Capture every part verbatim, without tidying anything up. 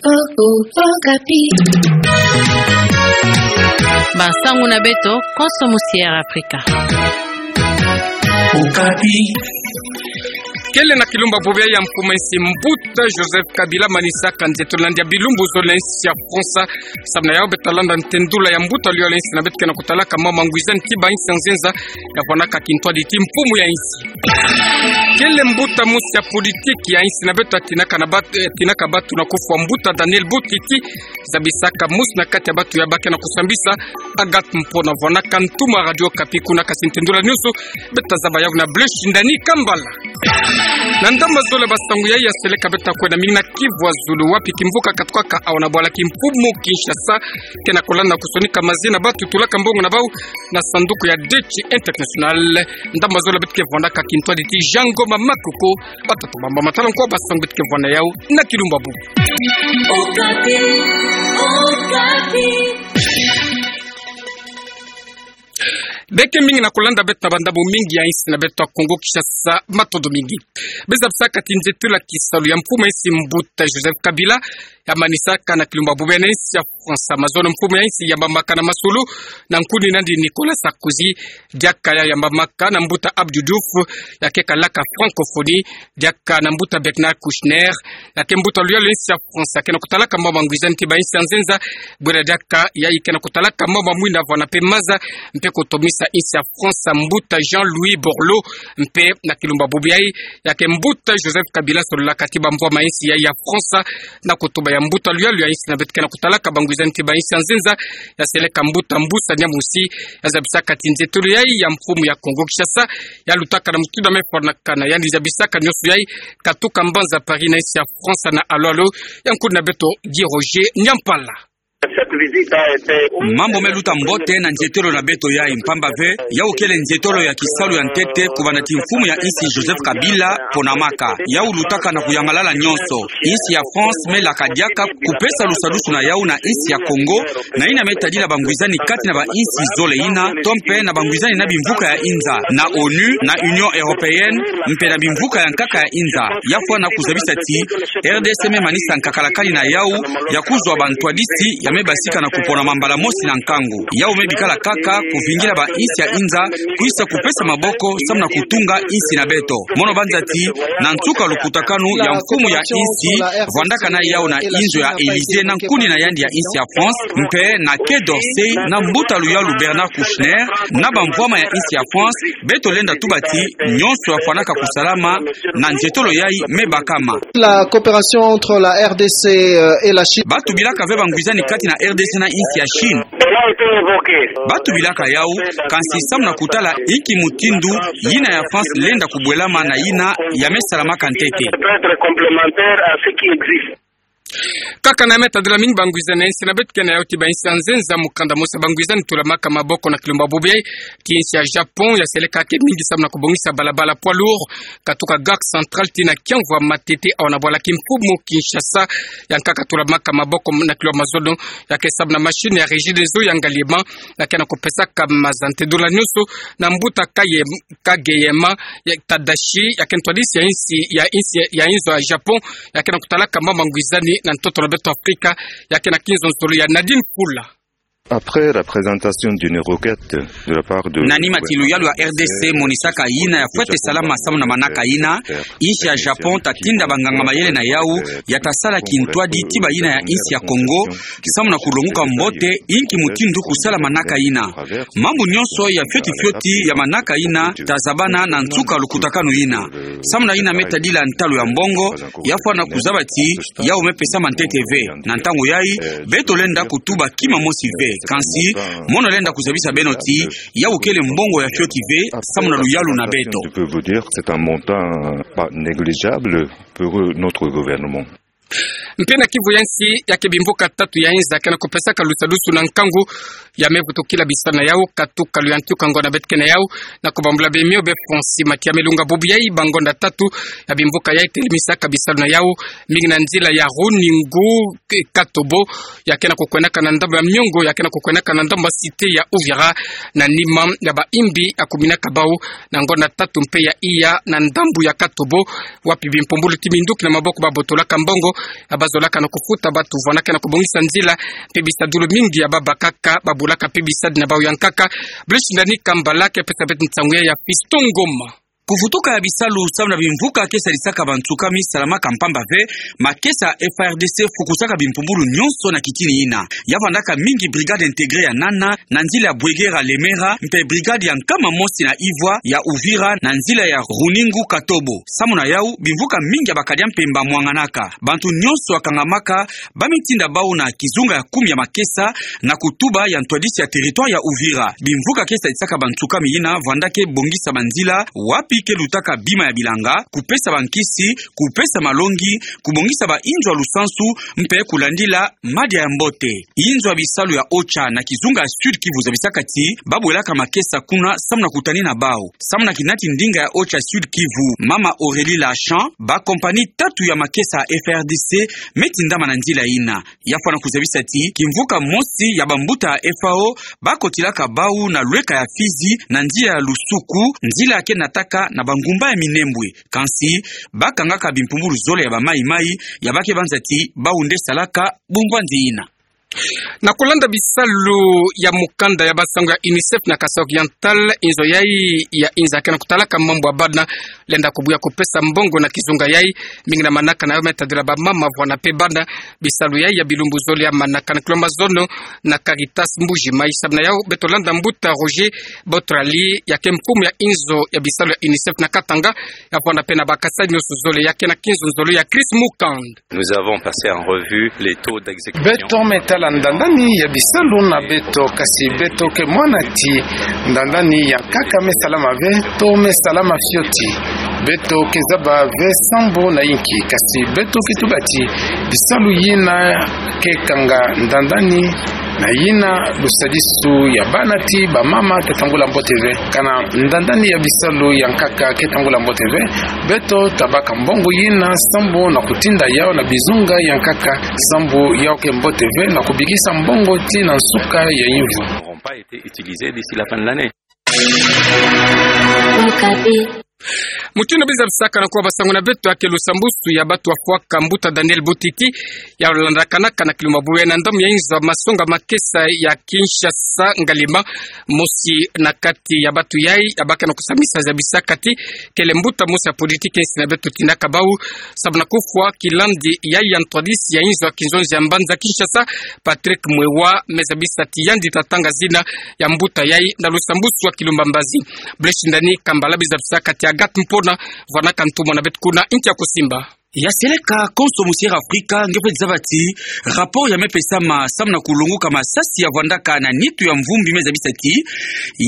Oh, oh, Okapi. Ba nsangu na beto, konso musi Air Afrika. Okapi. Kele na kilumbu bubu ya mfumu a insi mbuta Joseph Kabila manisaka nzietolo na ndia bilumbu zole na insi ya France. Samu na yau beta landa ntendula ya mbuta luyalo ya insi na beto kena kutalaka mama ngwizani ti ba insi ya nzenza ya vwanaka kintwadi ti mfumu ya insi. Kele mbuta musi ya politiki ya insi na beto atinaka na bat-, eh, atinaka batu na kufwa mbuta Daniel Butiti, zabisaka musi na kati ya batu ya ba kena kusambisa Agathe Mpona vwanaka ntumwa Radio Okapi kuna kasi ntendula nyonso beta zaba yau na Blaise Shindani Kambala. Na ndamba zole ba nsangu yai ya seleka beta kwenda mingi na Kivu ya zulu wapi kimvuka katukaka awa na bwala kimfumu Kinshasa kena kolanda kusonika mazina batu tulaka mbongo na bau na sanduku ya Deci International. Ndamba zole beto ke vwandaka kintwadi ti Jean Ngoma Makoko, batatu mamba matala nkwa ba nsangu beto ke vwanda yau na kilumbu bubu. Okapi, Okapi. Beke mingi na kolanda beto na ba ndambu mingi ya insi na beto ya Kongo Kinshasa, matondo mingi. Beza bisaka ti nzietolo ya kisalu ya mfumu a insi mbuta Joseph Kabila ya manisaka na kilumbu bubu na insi ya France. Mazono mfumu ya insi ya bamaka na masolo na nkuni nandi Nicolas Sarkozy, diaka ya ya bamaka na mbuta Abdou Diouf, ya ke kalaka francophonie, diaka na mbuta Bernard Kouchner, ya ke mbuta luyalo ya insi ya France, ya kena kutalaka mama ngwizani ti ba insi ya nzenza, bwela diaka yayi kena kutalaka mama mwina vwana mpe maza, mpe kutomisa insi ya France, mbuta Jean-Louis Borloo, mpe na kilumbu bubu yai, ya ke mbuta Joseph Kabila sololaka ti bamvwama ya insi yai ya France, na kutuba ya mbuta luyalo ya insi na beto kena kutalaka ba ngwizani ti ba insi ya nzenza, ya seleka mbuta Mbusa Nyamwisi, ya zabisaka ti nzietolo yai ya mfumu ya Kongo Kinshasa, ya lutaka na mutindu ya mefwanakana, yandi zabisaka nyonso yai, katuka mbanza Paris na insi ya France na alo-alo, ya nkuni na beto Guy Roger Nyampala. Mambu me luta mbote na nzietolo na beto yai, mpamba ve, yau kele nzietolo ya kisalu ya ntete kubanda ti mfumu ya insi Joseph Kabila ponamaka. Yau lutaka na kuyangalala nyonso. Insi ya France me laka diaka kupesa lusadusu na yau na insi ya Kongo, na yina me tadila ba ngwizani kati na ba insi zole yina, to mpe na ba ngwizani na bimvuka ya inza, na onu, na Union Européenne, mpe na bimvuka ya nkaka ya inza. Ya fwana kuzabisa ti, R D C me manisa nkakalakani na yau, ya kuzwa ba ntwadisi, ya me basika na kuponama mbala mosi na nkangu. Yau me bikala kaka, kuvingila ba insi ya inza, kwisa kupesa maboko, samu na kutunga insi na beto. Mono banza ti, na nsuka lukutakanu ya mfumu ya insi, vwandaka na yau na inzo ya Élysée na nkuni na yandi ya insi ya France, mpe na Quai d'Orsay, na mbuta luyalu Bernard Kouchner, na bamvwama ya insi ya France, beto lenda tuba ti, nyonso ya fwanaka kusalama, na nzietolo yai me bakama. La coopération entre la R D C, euh, et la Chine. Batubilaka ve ba ngwizani kati na R D C na insi ya Chine. Batubilaka yau, kansi samu na kutala inki mutindu, yina ya France lenda kubwelama na yina ya me salamaka ntete. Kaka na me tadila mingi ba ngwizani ya insi na beto kena yau ti ba insi ya nzenza mukanda mosi ya ba ngwizani tulamaka maboko na kilumbu bubu yai, ti insi ya Japon, ya seleka ke mingi samu na kubongisa balabala poids lourd, katuka Gare Centrale tii na kiamvu ya matete awa na bwala kimfumu Kinshasa, ya nkaka tulamaka maboko na kilumbu mazono, ya ke samu na machine ya Regideso ya Ngaliema, ya kena kupesaka maza ntendula nyonso, na mbuta Kaye-, Kageyama, ya Tadashi, ya ke ntwadisi ya insi, ya insi, ya inzo ya Japon, ya kena kutalaka mama ngwizani na ntoto na beto Afrika, ya kena kinzonzolo ya Nadine Kula. Après la présentation d'une requête de la part de... Na nima ti luyalu ya R D C monisaka yina ya fwete salama samu na manaka yina, insi ya Japon tatinda banganga mayele na yau, ya tasala kintwadi ti bayina ya insi ya Kongo, samu na kulonguka mbote, inki mutindu kusala manaka yina. Mambu nyonso ya fioti fioti ya manaka yina, tazabana na nsuka lukutakanu yina. Samu na yina me tadila ntalu ya mbongo, ya fwana kuzaba ti, yau me pesama ntete ve. Na ntangu yai, beto lenda kutuba kima mosi ve. Kansi, mono lenda kuzabisa beno ti, yau kele mbongo ya fioti ve, samu na luyalu na beto. Je peux vous dire, c'est un montant pas négligeable pour notre gouvernement. Mpe na Kivu ya nsi, ya ke bimvuka tatu ya inza kena kupesaka lusadusu na nkangu, ya me vutukila bisalu na yau, katuka Luyantiuka ngonda beto kena yau, na kubambula bemio be Fonsi Makia me lunga bubu yai, ba ngonda tatu, ya bimvuka yai telemisaka bisalu na yau, mingi na nzila ya Runingu, K-, Katobo, ya kena kukwendaka na ndambu ya Miongo, ya kena kukwendaka na ndambu ya Cité ya Uvira, na nima ya ba imbi ya kuminaka bau, na ngonda tatu mpe ya iya na ndambu ya Katobo, wapi bimpumbulu ti minduki na maboko babotolaka mbongo, ya Bazolaka na kufuta batu, vwandaka na kubongisa nzila, mpe bisadulu mingi ya babakaka, babulaka mpe bisadi na bawu ya nkaka. Blaise Ndani Kambala ke pesa beto nsangu ya Fiston Ngoma. Kuvutuka ya bisalu samu na bimvuka ke sadisaka bansuka mi salamaka mpamba ve, makesa F A R D C fukusaka bimpumbulu nyonso na kitini yina. Ya vwandaka mingi brigade intégrée ya nana, na nzila ya Bouéguera Lemera, mpe brigade ya nkama mosi na ivwa ya Uvira, na nzila ya Runingu Katobo. Samu na yawu, bimvuka mingi ya bakadi ya mpemba mwanganaka. Bantu nyonso ya kangamaka, ba mitinda bawu na kizunga ya kumi ya makesa, na kutuba ya ntwadisi ya territoire ya Uvira. Bimvuka ke sadisaka bansuka mi yina vwandaka bongisa banzila, wapi ke lutaka bima ya bilanga, kupesa bankisi, kupesa malongi, kubongisa ba inzo ya lusansu, mpe kulandila madia ya mbote. Inzo ya bisalu ya OCHA na kizunga ya Sud Kivu zabisaka ti, babwelaka makesa kuna samu na kutanina bawu. Samu na kinati ndinga ya OCHA Sud Kivu, mama Aurélie Lachan, ba compagnie tatu ya makesa F A R D C me tindama na nzila yina. Ya fwana kuzabisa ti, kimvuka mosi ya bambuta ya F A O, bakotilaka bawu na lweka ya Fizi, na nzila ya Lusuku, nzila ya ke nataka na bangumba ya Minembwe. Kansi, bakangaka bimpumbulu zole ya ba Mai Mai, ya ba ke banza ti, bawu nde salaka bumvwanzi yina. Na kulanda bisalu ya mukanda ya basangu ya UNICEF na Kasaï Oriental, inzo yayi ya inza ke na kutalaka mambu ya bana, lenda kubuya kupesa mbongo na kizunga yayi, mingi na manaka na yo me tadila bamama vwana mpe bana. Bisalu yayi ya bilumbu zole ya manaka na kilomba zono na Caritas Mbuji Mayi. Samu na yawu beto landa mbuta Roger Botrali, ya ke mfumu ya inzo ya bisalu ya UNICEF na Katanga, ya vwanda mpe na bakasadi nyonso zole, ya ke na kinzonzolo ya Chris Mukand. Nous avons passé en revue les taux d'exécution. Beto me tala ndandani ya bisalu na beto, kasi beto ke mona ti ndandani ya nkaka me salama ve, taux me salama fioti. Beto ke zaba ve sambu na inki, kasi beto ke tuba ti bisalu yina ke kanga ndandani na yina lusadisu ya bana ti bamama ta tambula mbote ve. Kana ndandani ya bisalu ya nkaka ke tambula mbote ve, beto tabaka mbongo yina sambu na kutinda yawu na bizunga ya nkaka, sambu yawu ke mbote ve na kubikisa mbongo tii na nsuka ya yimvu. N'auront pas été utilisés d'ici la fin de l'année. Mutindu bizabisaka na kuwa basangu na beto, ya ke lusambusu ya batu wafwaka mbuta Daniel Butiti, ya landakanaka na kilumba bubu yayi na ndambu ya inzo ya masonga makesa ya Kinshasa Ngalima. Mosi na kati ya batu yayi, ya baka na kusamisa zabisaka ti, kele mbuta mosi ya politiki insi na beto tindaka bawu, samu na kufwa kilandi yayi ya ntwadisi ya inzo ya kinzonzi ya mbanza Kinshasa, Patrick Mwewa, me zabisa ti yandi ta tanga zina ya mbuta yayi na lusambusu ya kilumba mbazi. Blaise Ndani Kambala bizabisaka ti Agathe Mpona, vwanaka ntumwa na beto kuna inki ya kusimba. Ya seleka konso mu Sierra Africa, nge fwe zaba ti, rapport ya me pesama samu na kulonguka masasi ya vwandaka na nitu ya mvumbi me zabisa ti,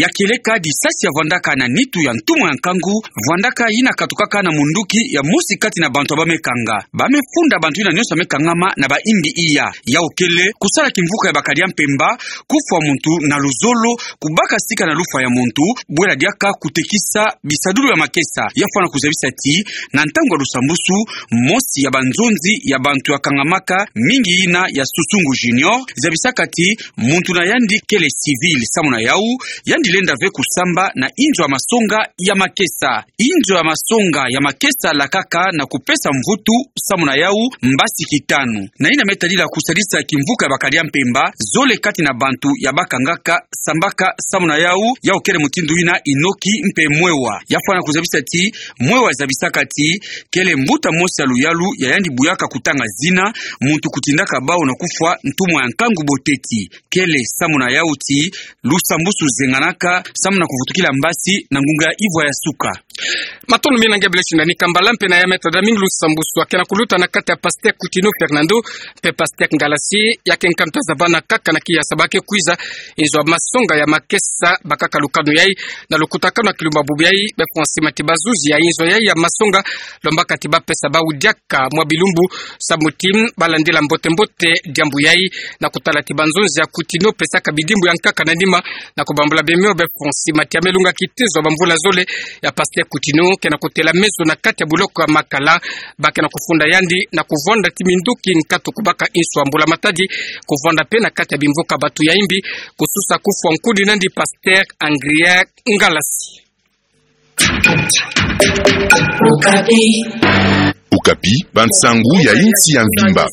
ya kieleka disasi ya vwandaka na nitu ya ntumwa ya nkangu, vwandaka yina katukaka na munduki ya mosi kati na bantu ya ba me kanga. Ba me funda bantu yina nyonso ya me kangama na ba imbi iya. Yawu kele, kusala kimvuka ya bakadi ya mpemba, kufwa muntu na luzolo, kubaka sika na lufwa ya muntu, bwela diaka kutekisa bisadulu ya makesa. Ya fwana kuzabisa ti, na ntangu ya lusambusu, mosi ya banzonzi ya bantu ya kangamaka mingi yina ya Susungu Junior, zabisaka ti, muntu na yandi kele civil, samu na yawu, yandi lenda ve kusamba na inzo ya masonga ya makesa. Inzo ya masonga ya makesa lakaka na kupesa mvutu, samu na yawu, mbasi kitanu. Na yina me tadila kusadisa kimvuka ya bakadi ya mpemba, zole kati na bantu ya ba kangaka sambaka samu na yawu, yawu kele mutindu yina Inoki mpe Mwewa. Ya fwana kuzabisa ti, Mwewa zabisaka ti, kele mbuta mosi ya luyalu ya yandi buyaka kutanga zina, muntu kutindaka bawu na kufwa ntumwa ya nkangu boteti. Kele samu na yawu ti, lusambusu zenganaka, samu na kuvutukila mbasi na ngunga ya ivwa ya suka. Matondo mingi na nge Blaise Ndani Kambala, mpe na ya me tada mingi lusambusu ya ke na kuluta na kati ya Pasteur Coutinho Fernando, mpe Pasteur Ngalasi, ya ke nkanta za bana kaka na kiyasa ba ke kwiza, inzo ya masonga ya makesa, bakaka lukanu yayi, na lukutakanu ya kilumba bubu yayi, be Francis Mati bazuzi ya inzo yayi ya masonga, lombaka ti ba pesa bawu diaka mwa bilumbu, samu ti, ba landila mbote mbote, diambu yayi, na kutala ti banzonzi ya Coutinho pesaka bidimbu ya nkaka na nima, na kubambula bemio be Francis Mati ya me lunga kitezo ya bamvula zole ya Pasteur Coutinho, ke na kutela meso na kati ya buloko ya Makala, ba ke na kufunda yandi, na kuvwanda ti minduki nkatu kubaka inso ya mbula matadi, kuvwanda mpe na kati ya bimvuka batu ya imbi, kususa kufwa nkudi nandi Pasteur Angrier Ngalasi. Okapi. Okapi, bansangu ya insi ya mvimba.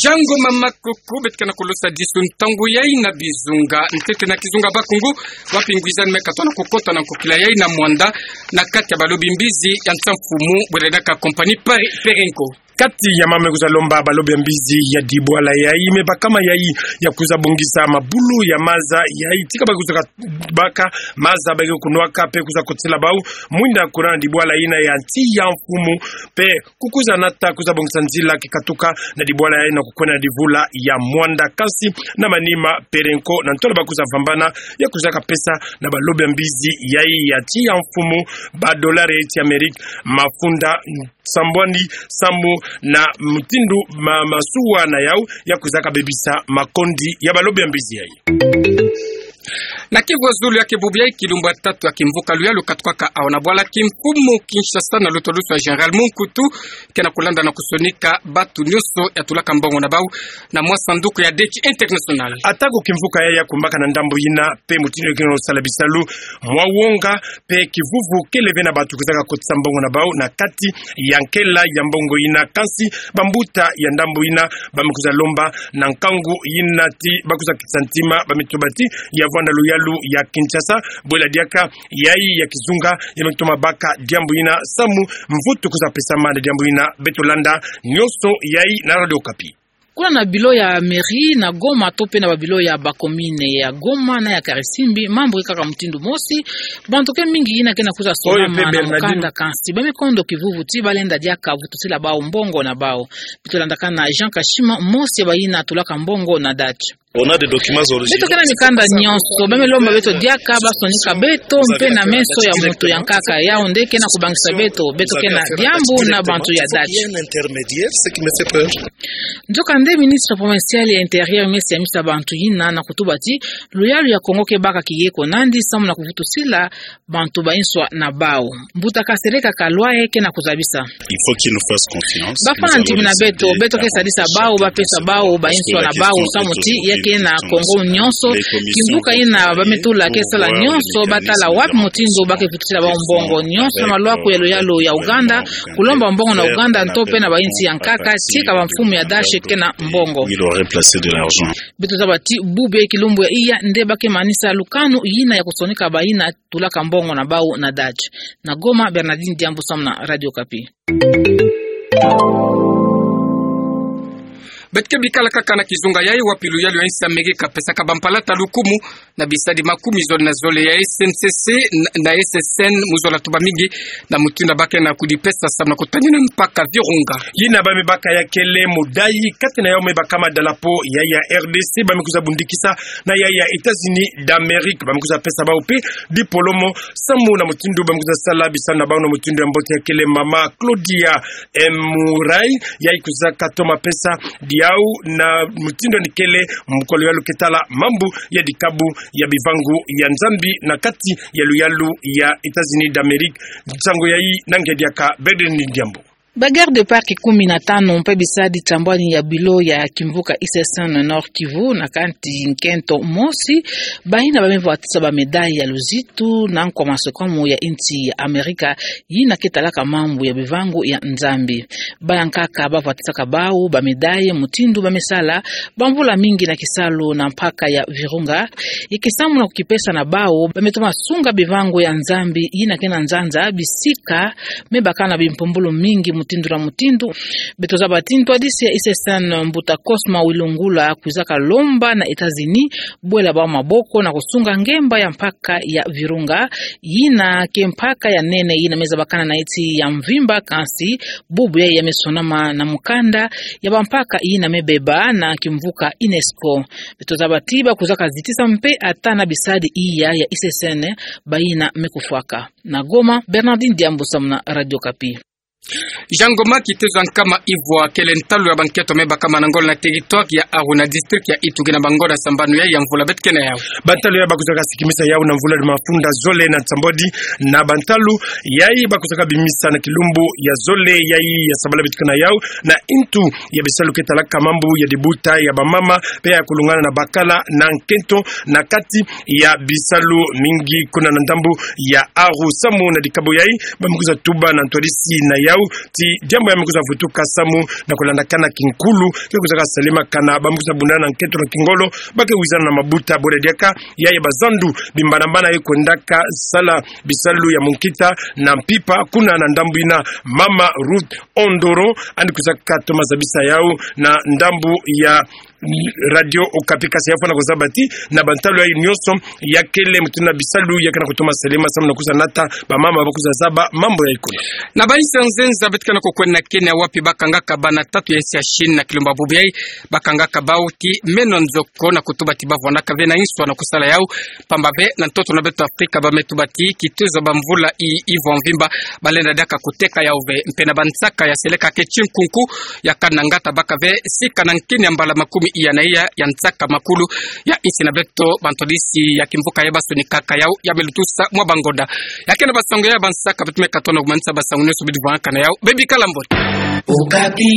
Jango mama koko, beto ke na kulosa disu ntangu yayi na bizunga. Ntete na kizunga Bakongo, wapi ngwizani me katona kukota na nkokila yayi na Muanda, na kati ya balobi mbizi ya nsa mfumu, bwela diaka compagnie Pare-, Perenco. Kati ya mama me kwiza lomba balobi ya mbizi ya dibwala yayi, me bakama yayi ya kwiza bongisa mabulu ya maza yayi, tika ba kwiza ka-, baka maza ba ke kunwaka, mpe kwiza kotisila bawu mwinda courant na dibwala yina ya nsi ya mfumu, mpe kukwiza nata kwiza bongisa nzila ke katuka na dibwala yayi na kukwenda na divula ya Muanda, kansi na manima Perenco na ntwala ba kwiza vambana, ya kwiza kapesa na balobi ya mbizi yayi ya nsi ya mfumu ba dolari ya insi ya Amerika mafunda sambwani samu na mutindu ma-, masuwa na yawu ya kwiza kabebisa makondi ya balobi ya mbizi yayi. Na Kivu ya zulu, ya ke bubu yayi kilumbu ya tatu ya kimvuka luyalu katukaka awa na bwala kimfumu Kinshasa na lutwadusu ya Général Mobutu, ke na kulanda na kusonika batu nyonso ya tulaka mbongo na bawu na mwa sanduku ya dette internationale. Atako kimvuka yayi ya kumbaka na ndambu yina, mpe mutindu ya ke na kusala bisalu mwa wonga, mpe kivuvu kele ve na batu kwizaka kotisa mbongo na bawu na kati ya nkela ya mbongo yina, kansi bambuta ya ndambu yina ba me kwiza lomba na nkangu yina ti ba kwiza kitisa ntima, ba me tuba ti ya vwanda luyalu ya Kinshasa, bwela diaka yayi ya kizunga ya me toma baka diambu yina samu mvutu kwiza pesama na diambu yina. Beto landa nyonso yayi na Radio Okapi. Kuna na bilo ya mairie na Goma to mpe na babilo ya bacommune ya Goma na ya Karisimbi, mambu ke kaka mutindu mosi. Bantu ke mingi yina ke na kwiza sonama na mukanda, kansi ba me kondo kivuvu ti ba lenda diaka vutusila bawu mbongo na bawu. Beto landaka na Jean Kashima, mosi ya bayina tulaka mbongo na date. Beto ke na mikanda nyonso, ba me lomba beto diaka ba sonika beto, mpe na meso ya mutu ya nkaka, yawu nde ke na kubangisa beto, beto ke na diambu na bantu ya date. Nzokande ministre provincial ya Intérieur me siamisa bantu yina na kutuba ti luyalu ya Kongo ke baka kiyeko nandi samu na kuvutusila bantu bayinswa na bawu. Mbuta Kasereka Kalwaye ke na kuzabisa. Il faut qu'ils nous fassent confiance. Ba fwana ntimina beto, beto ke sadisa bawu, ba pesa bawu bayinswa na bawu, samu ti ya ke na Kongo nyonso. Kimvuka yina ba me tula ke sala nyonso, ba tala wapi mutindu ba ke vutusila bawu mbongo. Nyonso na malwaku ya luyalu ya Ouganda, kulomba mbongo na Ouganda, nto mpe na bayinsi ya nkaka, tika bamfumu ya date ke na mbongo. Il aurait placé de l'argent. Beto zaba ti bubu ya kilumbu ya iya nde ba ke manisa lukanu yina ya kusonika bayina tulaka mbongo na bawu na date. Na Goma, Bernardine Diambu samu na Radio Okapi. Beto ke bikala kaka na kizunga yayi wapi luyalu ya insi ya Amerika pesaka bampalata lukumu na bisadi makumi zole na zole ya S N C C na, na S S N mu zola tuba mingi na mutindu ba ke na kudipesa samu na kutanina mpaka Virunga. Yina ba me baka ya kele mudayi, kati na yawu me bakama drapeau ya, ya R D C, ba me kwiza bundikisa na ya, ya États-Unis d'Amérique, ba me kwiza pesa bawu mpe dipolomo samu na mutindu ba me kwiza sala bisalu na bawu na mutindu ya mbote. Ya kele mama Claudia Murray, yayi kwiza katoma pesa diawu na mutindu ni kele mukolo ya luyalu ke tala mambu ya dikabu ya bivangu ya Nzambi na kati ya luyalu ya États-Unis d'Amérique. Nsangu yayi na nge diaka Bernardine Diambu. Ba gardes du parc kumi na tanu mpe bisadi sambwani ya bilo ya kimvuka S S N Nord-Kivu na kati nkento mosi, bayina ba me vwatisa ba médailles ya luzitu na nkwa masokamu ya insi ya Amerika yina ke talaka mambu ya bivangu ya Nzambi. Baya nkaka ba vwatisaka bawu ba médailles mutindu ba me sala bamvula mingi na kisalu na mpaka ya Virunga, ya ke samu na kukipesa na bawu, ba me toma sunga bivangu ya Nzambi yina ke na nzanza, bisika me baka na bimpumbulu mingi mutindu na mutindu. Beto zaba ti ntwadisi ya S S N, mbuta Cosma Wilungula, kwizaka lomba na États-Unis bwela bawu maboko na kusunga ngemba ya mpaka ya Virunga, yina ke mpaka ya nene yina me zabakana na insi ya mvimba, kansi bubu yayi ya me sonama na mukanda ya bampaka yina me beba na kimvuka UNESCO. Beto zaba ti ba kwizaka zitisa mpe ata na bisadi iya ya S S N bayina me kufwaka. Na Goma, Bernardine Diambu samu na Radio Okapi. Jango ma kitezo ya nkama ivwa kele ntalu ya bankento me bakama na ngolo na territoire ya Aru na district ya Ituri na bangonda sambanu yayi ya mvula beto ke na yawu. Bantalu yayi ba kwizaka sikimisa yawu na mvula ya mafunda zole na nsambwadi, na bantalu yayi ba kwizaka bimisa na kilumbu ya zole yayi ya sabala beto ke na yawu, na intu ya bisalu ke talaka mambu ya dibuta ya bamama mpe ya kulungana na bakala na nkento na kati ya bisalu mingi kuna na ndambu ya Aru. Samu na dikabu yayi, ba me kwiza tuba na ntwadisi na yau, ti diambu ya me kwiza vutuka samu na kulandakana kinkulu ke kwizaka salemaka na ba me kwiza bundana na nkento na kingolo, ba ke wizana na mabuta. Bole diaka, ya ya bazandu bimbanambana ye kwendaka sala bisalu ya munkita na mpimpa kuna na ndambu yina, Mama Ruth Ondoro, yandi kwizaka toma zabisa yau na ndambu ya Radio Okapi. Kasi ya fwana kuzaba ti na bantalu yayi nyonso, ya kele mutindu na bisalu ya ke na kutoma salema samu na kwiza nata bamama ba kwiza zaba mambu yayi kuna. Na bainsi ya nzenza beto ke na kukwenda na Kenya, wapi bakangaka bana tatu ya insi ya Chine na kilumba bubu yayi, bakangaka bau ti meno nzoko na kutuba ti ba vwandaka ve na inswa na kusala yau, pamba ve na ntoto na beto Afrika ba me tuba ti kitezo ya bamvula i, i vwa mvimba, balenda diaka kuteka yau ve. Mpe na bansaka ya seleka ke tinkunku, ya kana ngata baka ve sika na nkini ya mbala makumi iya na iya ya nsaka makulu ya insi na beto, bantwadisi ya kimvuka ya ba sonikaka yau, ya me lutusa mwa bangonda. Ya ke na basango ya bansaka, beto me katono kumanisa basango nyonso bidi vwangakana yau. Bebikala mbote. Okapi.